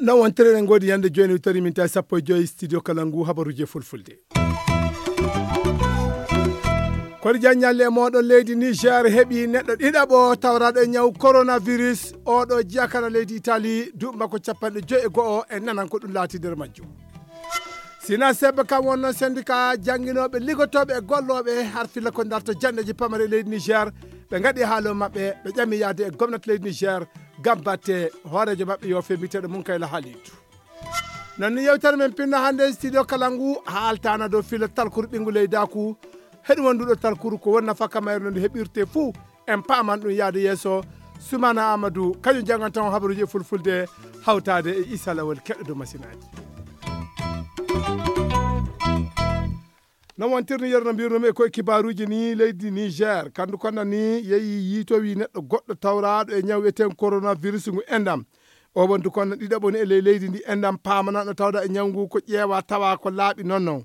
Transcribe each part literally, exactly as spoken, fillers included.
Non wontere, eɗen ngoodi yande jooni, tawi min tawi sappo e joyi studio kala ngu habaruji e fulfulde. Kono jan ñalle e mooɗon, leydi Niger heɓi neɗɗo ɗiɗaɓo tawraɗo e ñaw coronavirus. Oɗo jiyakana leydi Italie, duuɓi makko capanɗe joyi e go'o, en nanan ko ɗum laati nder majjum. Sina sebbe kam wonno syndicat jannginooɓe, ligotooɓe e gollooɓe har filla ko darto janndeeji pamare leydi Niger, ɓe ngaɗi haalo maɓɓe, ɓe ƴami yaade e gomnati leydi Niger ngam batte hooreejo maɓɓe yo fee biyeteeɗo Munkayla Halidu. Non ni yewtere men pinno hannde e studio kala ngu haaltana dow filla talkuru ɓinngu leydaaku. Heɗum won nduɗo talkuru ko won nafa ka mayre no ndu heɓirte fuu. En paaman ɗum yaade yeeso. Sumana Amadou, kañum jannganta on habaruuji e fulfulde hawtaade e Isa Lawol keɗɗo dow masinaaji. No wontirni yeru no mbirnumi e koye kibaaruuji ni, leydi Niger, kandu konna ni yehi yiitowi neɗɗo goɗɗo tawraaɗo e ñaw wiyeteeŋgu coronavirus ngu endam. O wondu konna ɗiɗaɓo ni e ley leydi ndi endam paamana no tawda e ñaw ngu ko ƴeewa tawa ko laaɓi non non.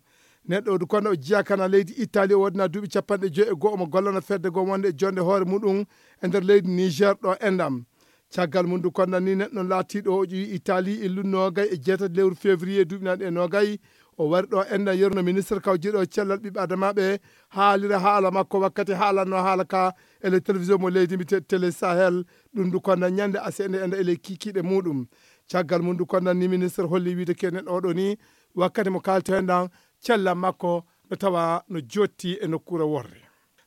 Neɗɗo o du konna o jiya kana leydi Italie, o wodna duuɓi capanɗe joyi e go'o mo gollana fedde goo wonde e jonde hoore muɗum e nder leydi Niger ɗo endam. Caggal mum du konna ni neɗɗo laatiiɗo o ƴeewi Italie illu noogay e jeetati lewru février duuɓi naaɗi e noogay. O wari ɗo enda yerno ministre kawjiɗo cellal ɓiɓɓe adamaaɓe haalira haala makko wakkati haalanno haala ka e le télévision mo leydi mbite Télé Sahel. Ɗum du konna ñande asende enda e le kikiɗe muɗum. Caggal mum du konna ni ministre holli wiide ke neɗɗo oɗo ni wakkati mo kaalto hen ɗan cellal makko no tawa no jotti e nokkuure worre.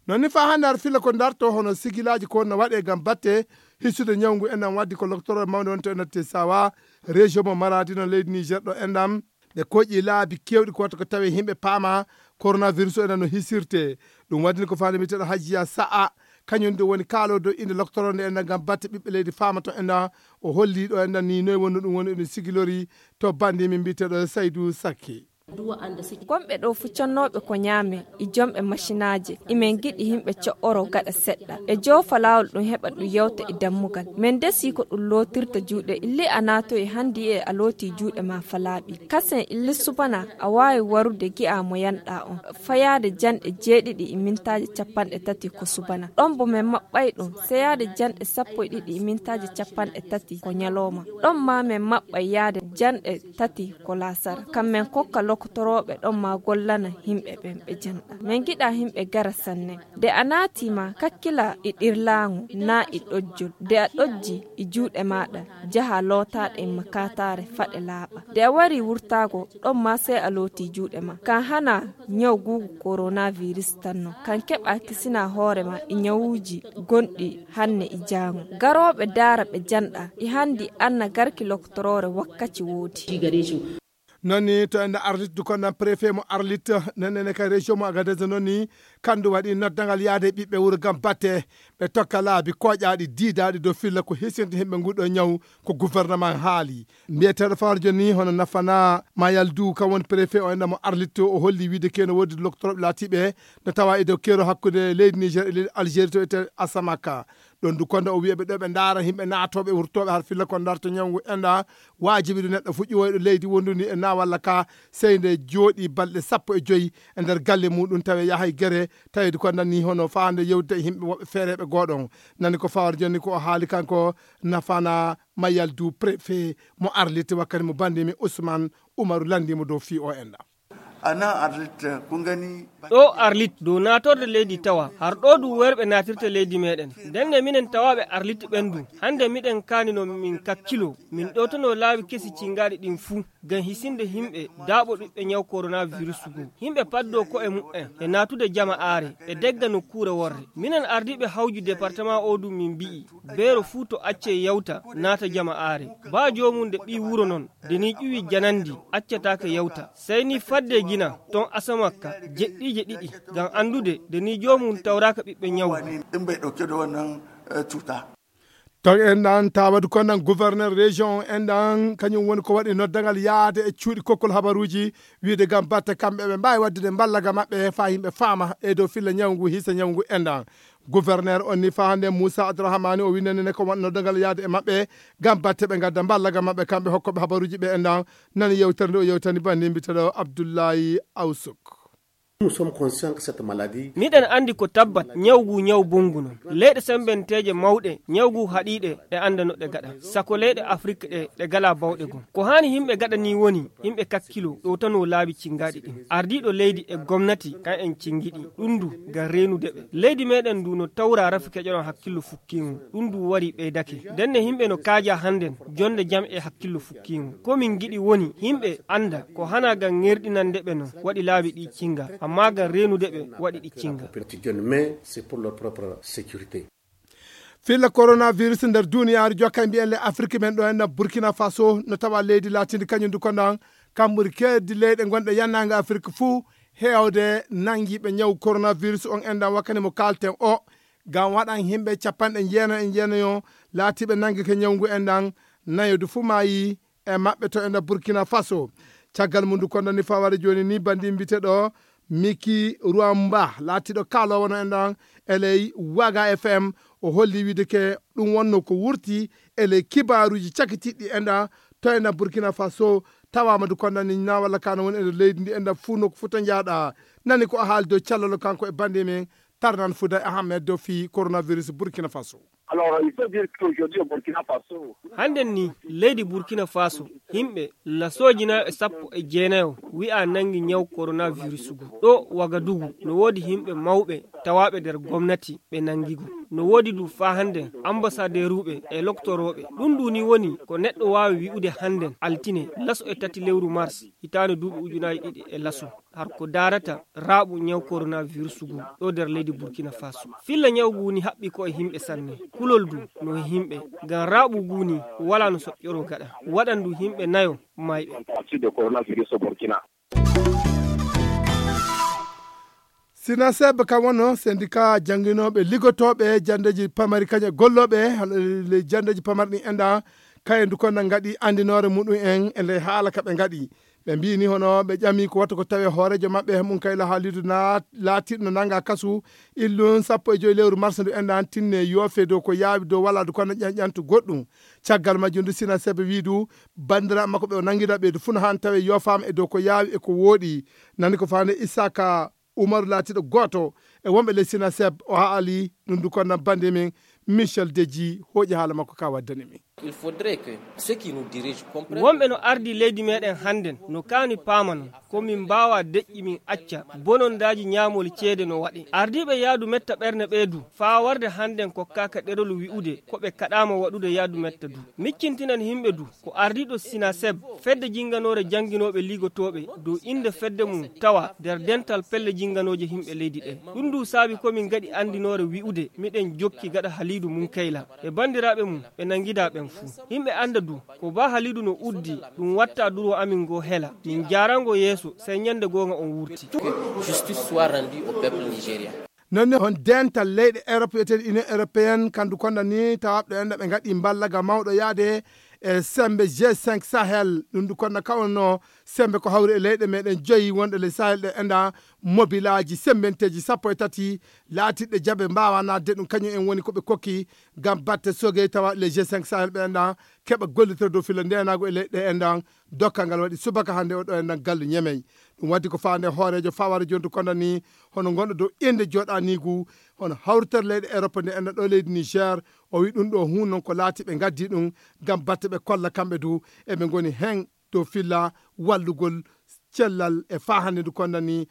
Non ni fa hannde har filla ko darto hono sigilaaji ko wonno waɗe ngam batte hissude ñawngu enɗam waddi ko loktoro mawde wonto e natte sawa région mo Maradi no leydi Niger ɗo enɗam. Ɓe koƴi laabi kewɗi ko watta ko tawe yimɓe paama coronavirus o enɗam no hisirte. Ɗum waddini ko faande mbiyeteeɗo Hajiya Sa'a, kañum ɗum woni kaalo dow innde loktoro nde enɗam ngam batte ɓiɓɓe leydi faama to enɗam. O holli ɗo enɗam ni noy wonno ɗum woni ɗum sigilori to bandi min mbiyeteeɗo Saydu Sakke. Gonɓe ɗo fuccannooɓe ko ñaame e jomɓe masinaaje, imen giɗi yimɓe co'oro gaɗa seɗɗa e joofa laawol ɗum heɓa ɗum yewta e dammugal. Men desi ko ɗum lootirta juuɗe illi a naatoyi hanndi e a looti juuɗe ma falaaɓi kasen illi subana. A waawi warude gi'a mo yanɗa on fayaade janɗe jeeɗiɗi e mintaaji capanɗe tati ko subana ɗon bo men maɓɓay ɗum seyaade janɗe sappo e ɗiɗi e mintaaji capanɗe tati ko ñalooma. Ɗon ma men maɓɓay yaade janɗe tati ko laasara. Kam men kokka lokotorooɓe ɗon ma gollana yimɓe ɓen ɓe janɗa. Men giɗa yimɓe gara sanne. Nde a naati ma kakkila e ɗirlaaŋu naa e ɗojjol. Nde a ɗojji e juuɗe maaɗa, jaha lootaaɗe e makaataare faɗe laaɓa. Nde a wari wurtaago, ɗon ma sey a looti juuɗe ma. Kan hana ñaw guugu coronavirus tan non. Kan keɓa kisina hoore ma e ñawuuji gonɗi hanne e jaaŋo. Garooɓe daara ɓe janɗa e hanndi anna garki loktoroore wakkaci woodi. Non ni to enda Arlit du konnan préfet mo Arlit nennene ka région mo Agadez non ni kandu waɗi noddangal yaade ɓiɓɓe wuro ngam batte ɓe tokka laabi koƴaaɗi diidaaɗi dow filla ko hisinde himɓe nguɗo ñaw ko gouvernement haali. Mbiyeteeɗo Farjo ni hono Nafana Mayaldu kan woni préfet o enɗa mo Arlit o holli wiide keno woodi loktoroɓe laatiɓe no tawa e dow kero hakkunde leydi Niger e leydi Algérie to ete Asamaka. Ɗon du konda o wiya ɓe ɗo ɓe ndaara yimɓe naatooɓe wurtooɓe har filla ko ndarto ñawngu enɗa. Waajibi ɗum neɗɗo fu ƴiwoyɗo leydi wondundi e naawalla ka sey nde jooɗi balɗe sappo e joyi e nder galle muɗum tawi yahay gere tawi du konda ni hono faande yewde e yimɓe woɓɓe feereɓe goɗon. Nani ko fawar jonni ko o haali kanko Nafana Mayaldu préfet mo Arlit wakkati mo bandimi Ousmane Umaru landimo dow fii o enɗa. Ana Arlit, kun gani? Ɗo Arlit dow naatorde leydi tawa har ɗo du werɓe naatirta leydi meɗen. Nden nde minen tawaaɓe Arlit ɓen du hande miɗen kaani no min kakkilo min ɗowtano laabi kesi cingaɗi ɗin fuu ngam hisinde himɓe daaɓo ɓiɓɓe ñaw coronavirus ngu. Himɓe paddo ko'e mu'en e naatude jama aare e degga nokkuure worre. Minen ardiiɓe hawju département o du min mbi'i beero fuu to acce yawta naata jama aare. Baa joomum nde ɓii wuro non nde ni ƴuwi janandi accataake yawta sey ni fadde gina ton asamakka jeɗɗiije ɗiɗi ngam anndude nde ni joomum tawraaka ɓiɓɓe ñawu. Ɗin ɓe ɗauke da wannan cuta. Ton en ɗan tawadu kon ɗan gouverneur région en ɗan, kañum woni ko waɗi noddagal yaade e cuuɗi kokkol habaruuji, wiide ngam batte kamɓe ɓe mbaawi waɗdude mballaga maɓɓe faa yimɓe faama e dow filla ñawu ngu, hisa ñawu ngu en ɗan. Gouverneur on ni faa hannde Moussa Abdourahmane o winndani ne ko waɗi noddagal yaade e maɓɓe ngam batte ɓe ngadda mballaga maɓɓe kamɓe hokkooɓe habaruuji ɓe en ɗan. Nani yewtere nde o yewtani banndi mbiteɗo Abdoulaye Awsuk. Nous sommes conscients que cette maladie Miɗen anndi ko tabbat ñaw ngu ñaw bonngu non. Leyɗe semmbenteeje mawɗe ñaw ngu haɗiiɗe ɗe annda no ɗe gaɗa. Sako leyɗe Afrik ɗe ɗe gala bawɗe gom. Ko haani yimɓe gaɗa ni woni yimɓe kakkilo ɗowtanoo laabi cinngaaɗi ɗin. Ardiiɗo leydi e gomnati kan en cinngiɗi ɗum ndu ngam reenude ɓe. Leydi meɗen ndu no tawra rafi keƴoɗon hakkillo fukkiingo. Ɗum ndu wari ɓeydake. Ndenne yimɓe no kaaja hannden jonnde jam e hakkillo fukkiingo. Ko min ngiɗi woni yimɓe annda ko hana ngam ŋerɗinande ɓe non waɗi laabi ɗi cinnga, amma ngam reenude ɓe waɗi ɗi cinnga. Filla coronavirus nder duniyaaru jokka e mbiyen le Afrik men ɗo en Burkina Faso no tawa leydi laatindi kañum du ko ndan kam ɓuri keeddi leyɗe gonɗe yannange Afrik fuu heewde nanngiiɓe ñaw coronavirus on en ɗan wakkati mo kaalten o ngam waɗan yimɓe capanɗe jeenayo e jeenayo laatiiɓe nanngike ñaw ngu en ɗan nayo du fuu maayi e maɓɓe to e nder Burkina Faso. Caggal mum du ko nani faware jooni ni banndi mbiteɗo Miki Ruamba laatiiɗo kaaloowo no en ɗan e ley Waga F M o holli wiide ke ɗum wonno ko wurti e ley kibaaruuji cakitiɗɗi en ɗan to en ɗan Burkina Faso tawaama du ko nani na walla ka no woni e nder leydi ndi en ɗan fuu no ko futa njaaɗa nani ko o haali dow callalo kanko e banndi men Tarnan Fouda Ahmed dow fii coronavirus Burkina Faso. Alors, il faut dire qu'aujourd'hui au Burkina Faso, hannden ni leydi Burkina Faso yimɓe lasooji nayo e sappo e jeenayo wi'a nanngi ñaw coronavirus ngu. Ɗo Wagadugu no woodi yimɓe mawɓe tawaaɓe nder gomnati ɓe nanngi ngu. No woodi du faa hannden ambasadeeruuɓe e loktorooɓe. Ɗum ndu ni woni ko neɗɗo waawi wi'ude hannden altine laso e tati lewru mars hitaande duuɓi ujunaaji ɗiɗi e laso. Har ko daarata raaɓu ñaw coronavirus ngu ɗo nder leydi Burkina Faso. Filla ñaw ngu ni haɓɓi ko e yimɓe sanne. Kulol du no e yimɓe. Ngam raaɓu ngu ni wala no soƴƴoro gaɗa. Waɗan du yimɓe nayo mayɓe. Parti de coronavirus au Burkina. Sinaseb kam wonno sendika jannginooɓe liggotooɓe janndeeji pamari kañe gollooɓe le janndeeji pamari ɗin enɗa kayen du konno ngaɗi anndinoore muɗum en e ley haala ka ɓe ngaɗi. Ɓe mbiyi ni hono ɓe ƴami ko watta ko tawi hooreejo maɓɓe Munkayla Halidu na laatiiɗo no nannga kasu illun sappo e joyi lewru mars ndu enɗan tinne yoofe dow ko yaawi dow wala du kono ƴanƴantu goɗɗum. Caggal majjum du Sinaseb wiidu banndiraaɓe makko ɓe o nanngida ɓeydu fuu no haan tawe yoofaama e dow ko yaawi e ko wooɗi. Nani ko faande Isaka Umaru laatiiɗo gooto e wonɓe ley Sinaseb o haali ɗum du konno bannde men Michel Deji hooƴi haala makko ka waddani min. Il faudrait que ceux qui nous dirigent comprennent. Wonɓe no ardi leydi meɗen hannden no kaani paama non ko min mbaawa deƴƴi min acca bonondaaji ñaamol ceede no waɗe. Ardiiɓe yaadu metta ɓerne ɓee du faa warde hannden kokkaaka ɗerol wi'ude ko ɓe kaɗaama waɗude yaadu metta du. Miccintinan yimɓe du ko ardiiɗo Sinaseb fedde jinnganoore jannginooɓe liigotooɓe dow innde fedde mum tawa nder dental pelle jinnganooje yimɓe leydi ɗe. Ɗum du saabi ko min ngaɗi anndinoore wi'ude miɗen jokki gaɗa Haliidu Munkayla e banndiraaɓe mum ɓe nanngida ɓen fuu. Yimɓe annda du ko Ba Haliidu no uddi ɗum watta duro amin ngo hela. Min njaarango yeeso sey ñannde goonga on wurti. Que justice soit rendue au peuple nigérien. Noon ne hon dental leyɗe Europe wiyeteeɗe Union Européenne kandu konda ni tawaaɓe ɗo enda ɓe ngaɗi mballaga mawɗo yaade e sembe G cinq Sahel. Ɗum du konda kawno sembe ko hawri e leyɗe meɗen joyi wonɗe ley Sahel ɗe enda mobilaaji sembenteeji sappo e tati laatiɗɗe jaɓe mbaawa naatde ɗum kañum en woni ko ɓe kokki ngam batte sogey tawa les G cinq Sahel ɓe enda keɓa gollitoro dow filla ndenaagu e leyɗe endan dokkal ngal waɗi subaka hannde o ɗo endan gallu ñemey. Ɗum waddi ko faande hooreejo faware jontu konda ni hono gonɗo dow innde jooɗaniigu hono hawritere leyɗe Europe nde endan ɗo leydi Niger. O wi ɗum ɗo hun noon ko laati ɓe ngaddi ɗum ngam batte ɓe kolla kamɓe du eɓe ngoni hen dow filla wallugol cellal e faa hannde ndu konda ni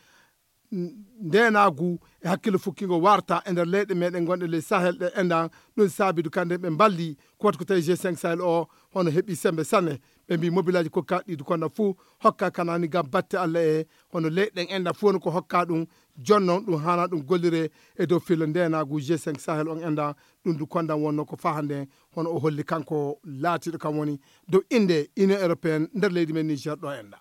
ndenaagu e hakkille fukkingo warta e nder leyɗe meɗen gonɗe ley Sahel ɗe endan. Ɗum saabidu kande ɓe mballi ko wata ko tawi G cinq Sahel o hono heɓi sembe sanne. Ɓe mbi mobilaaji kokkaɗi ɗi konda fuu hokka kanani ngam batte Allah e hono leyɗen endan fuu woni ko hokka ɗum jonnon ɗum hana ɗum gollire e dow filla ndenaagu G cinq Sahel on endan. Ɗum du kondan wonno ko fahande hono o holli kanko laatiɗo kam woni dow innde Union Européenne nder leydi men Niger ɗo endan.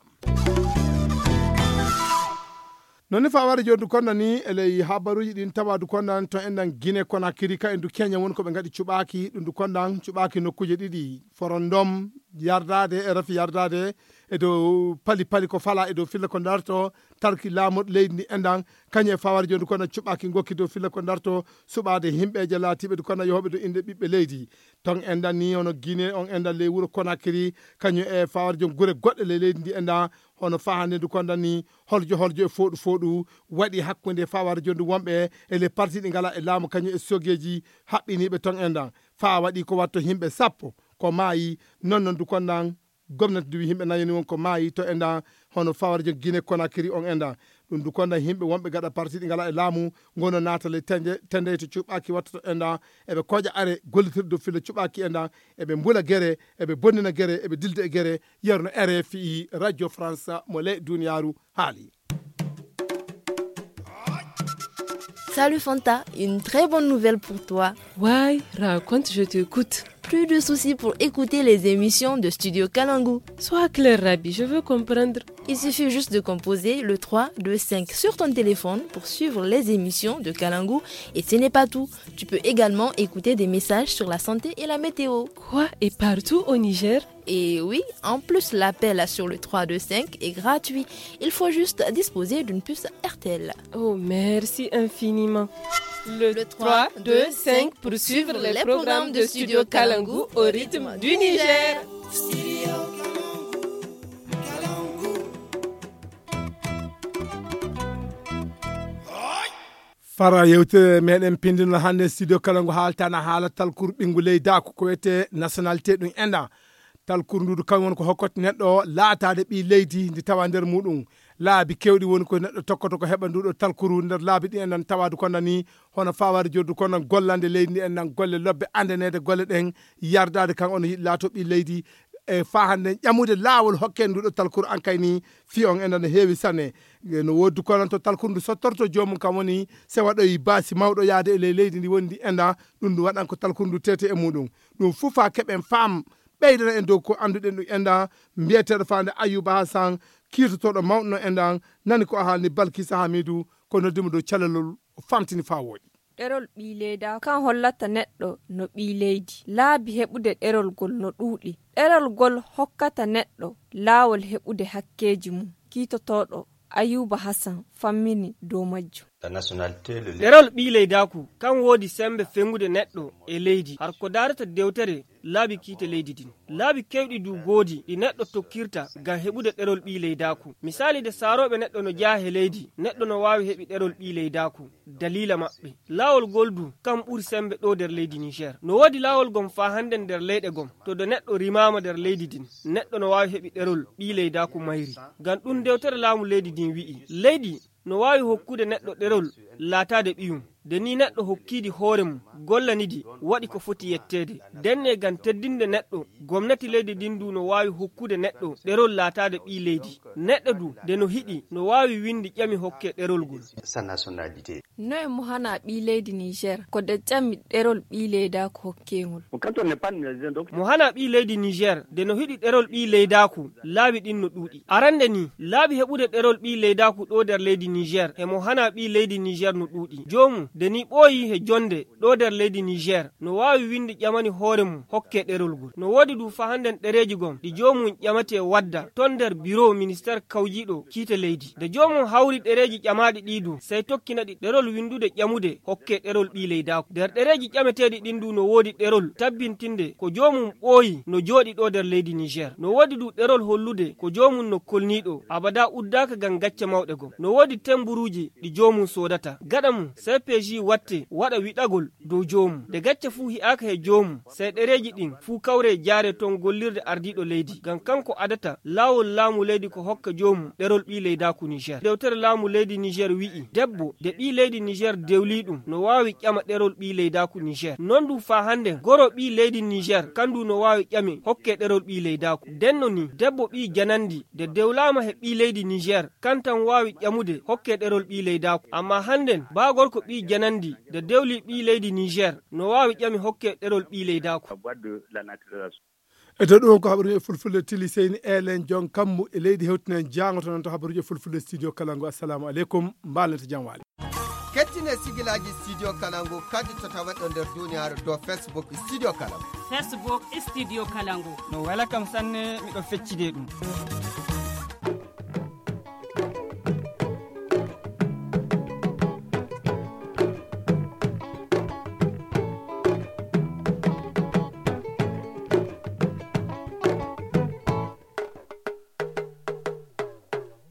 Noon ne fawade jooni du konda ni e ley habaruuji ɗin tawaa du kondan to enɗan Gine Konakiri ka en du Keña woni ko ɓe ngaɗi cuɓaaki ɗum du kondan cuɓaaki nokkuuje ɗiɗi forondom yardaade e rafi yardaade e dow pali pali ko fala e dow filla ko darto tarki laamorɗi leydi ndi enɗan kañum e fawade jooni du kondan cuɓaaki ngokki dow filla ko darto suɓaade himɓeeje laatiiɓe du kondan yohooɓe dow innde ɓiɓɓe leydi ton enɗan ni hono Gine on enɗan ley wuro Konakiri kañum e fawade jooni gure goɗɗe ley leydi ndi enɗan hono fahande du kondan ni holjo holjo e fooɗu fooɗu waɗi hakkunde fawade jondu wonɓe e les parti ɗi ngala e laamu kañum e sogeji haɓɓiniɓe ton enɗan fa waɗi ko watto himɓe sappo ko maayi non non du kondan gomnati du wi himɓe nayoni won ko maayi to enɗan hono fawade jon Gine Konakiri on enɗan ɗum du kondan himɓe wonɓe gaɗa parti ɗi ngala e laamu gono naatale tende tendey to cuɓɓaki wattoto enɗan eɓe koƴa are gollitirde dow filla cuɓɓaki enɗan eɓe mbula gere eɓe bonnina gere eɓe dilda e gere yerno R F I radio France mo ley duniyaaru haali. Salut Fanta, une très bonne nouvelle pour toi. Why, raconte, je t'écoute. Plus de soucis pour écouter les émissions de Studio Kalangu. Sois clair, Rabi, je veux comprendre. Il suffit juste de composer le trois deux cinq sur ton téléphone pour suivre les émissions de Kalangu. Et ce n'est pas tout. Tu peux également écouter des messages sur la santé et la météo. Quoi, et partout au Niger ? Et oui, en plus, l'appel sur le trois deux cinq est gratuit. Il faut juste disposer d'une puce R T L. Oh, merci infiniment. Le trois deux cinq pour suivre les programmes de Studio Kalangu au rythme du Niger. Fara yewtere meɗen pindino hannde studio kala ngu haaltana haala talkuru ɓinngu leydaku ko wiyetee nationalité ɗum enɗan. Talkuru ndu kam woni ko hokkata neɗɗo laataade ɓii leydi ndi tawa nder muɗum laabi kewɗi woni ko neɗɗo tokkoto ko heɓa nduɗo talkuru nder laabi ɗi enɗan tawaade konda ni hono fawaade joddu kono gollande leydi ndi enɗan golle lobbe andaneede golle ɗen yardaade kan ono yiɗi laato ɓii leydi e faa hannde ƴamude laawol hokken nduɗo talkuru ankay ni fii on enɗan no heewi sanne. No woodi kono to talkuru ndu sottorto joomum kam woni se waɗoyi baasi mawɗo yaade e ley leydi ndi woni ndi enɗan ɗum ndu waɗan ko talkuru ndu tete e muɗum. Ɗum fuu faa keɓen faam ɓeydana en dow ko annduɗen ɗum enɗan mbiyeteeɗo faande Ayuba Hasan kiirtotooɗo mawɗo no enɗan nani ko a haalni Balkisa Hamidu ko noddimo dow calalol o famtini faa wooɗi. Ɗerol ɓii leyda kan hollata neɗɗo no ɓii leydi laabi heɓude ɗerol gol no ɗuuɗi. Ɗerol gol hokkata neɗɗo laawol heɓude hakkeeji mum kiitotooɗo Ayuba Hasan fammini dow majjum. Ɗerol ɓii leydaaku kan woodi semmbe fengude neɗɗo e leydi har ko daarata dewtere laabi kiite leydi din. Laabi kewɗi du goodi ɗi neɗɗo tokkirta ngam heɓude ɗerol ɓii leydaaku. Misaali de saarooɓe neɗɗo no jeyaa he leydi neɗɗo no waawi heɓi ɗerol ɓii leydaaku daliila maɓɓe. Laawol gol du kam ɓuri semmbe ɗo nder leydi Niger. No woodi laawol gom faa hannden nder leyɗe gom to de neɗɗo rimaama nder leydi din neɗɗo no waawi heɓi ɗerol ɓii leydaaku mayri. Ngam ɗum dewtere laamu leydi din wi'i leydi no waawi hokkude neɗɗo ɗerol laataade ɓiyum. De ni neɗɗo hokkiidi hoore mum gollanidi waɗi ko foti yetteede. Denne ngam teddinde neɗɗo gomnati leydi din du no waawi hokkude neɗɗo ɗerol laataade ɓii leydi. Neɗɗo du de no hiɗi no waawi winndi ƴami hokke ɗerol ngol. Noye mo hana ɓii leydi Niger ko de ƴami ɗerol ɓii leydaaku hokkengol? Mo hana ɓii leydi Niger de no hiɗi ɗerol ɓii leydaaku laabi ɗin no ɗuuɗi. Arannde ni laabi heɓude ɗerol ɓii leydaaku ɗo nder leydi Niger e mo hana ɓii leydi Niger no ɗuuɗi. Joomum de ni ɓooyi he jonnde ɗo nder leydi Niger no waawi winndi ƴamani hoore mum hokke ɗerol ngol. No woodi du faa hannden ɗereeji gom ɗi joomum ƴamatee wadda ton nder biro ministeer kawjiiɗo kiite leydi. De joomum hawri ɗereeji ƴamaaɗi ɗi du sey tokkina ɗi ɗerol winndude ƴamude hokke ɗerol ɓii leydaaku. Nder ɗereeji ƴameteeɗi ɗin du no woodi ɗerol tabbintinde ko joomum ɓooyi no jooɗi ɗo nder leydi Niger. No woodi du ɗerol hollude ko joomum no kolniiɗo abadaa uddaaka ngam gacce mawɗe gom. No woodi temburuuji ɗi joomum soodata. Gaɗa mum C P J watte waɗa wiɗagol dow joomum. De gacce fuu hi'aaka he joomum sey ɗereeji ɗin fuu kawree jaaree ton gollirde ardiiɗo leydi ngam kanko adata laawol laamu leydi ko hokka joomum ɗerol ɓii leydaaku Niger. Dewtere laamu leydi Niger wi'i debbo de ɓii leydi Niger dewlii ɗum no waawi ƴama ɗerol ɓii leydaaku Niger. Non du faa hannden goro ɓii leydi Niger kan du no waawi ƴame hokke ɗerol ɓii leydaaku. Denno ni debbo ɓii janandi de dewlaama he ɓii leydi Niger kan tan waawi ƴamude hokke ɗerol ɓii leydaaku. Amma hannden baa gorko ɓii janandi de dewlii ɓii leydi Niger no waawi ƴami hokke ɗerol ɓii leydaaku. E dow ɗum ko habaruji e fulfulde, Tili Seyni Elen Jon Kammu e leydi hewtinen jaango to non to habaruji e fulfulde studio Kalangu. Assalamu aleykum, mbalnete jam waali. Kettine sigilaaji studio Kalangu kadi to taweɗo nder duniyaaru to Facebook studio Kalangu. Facebook studio Kalangu. No wela kam sanne, miɗo feccide ɗum.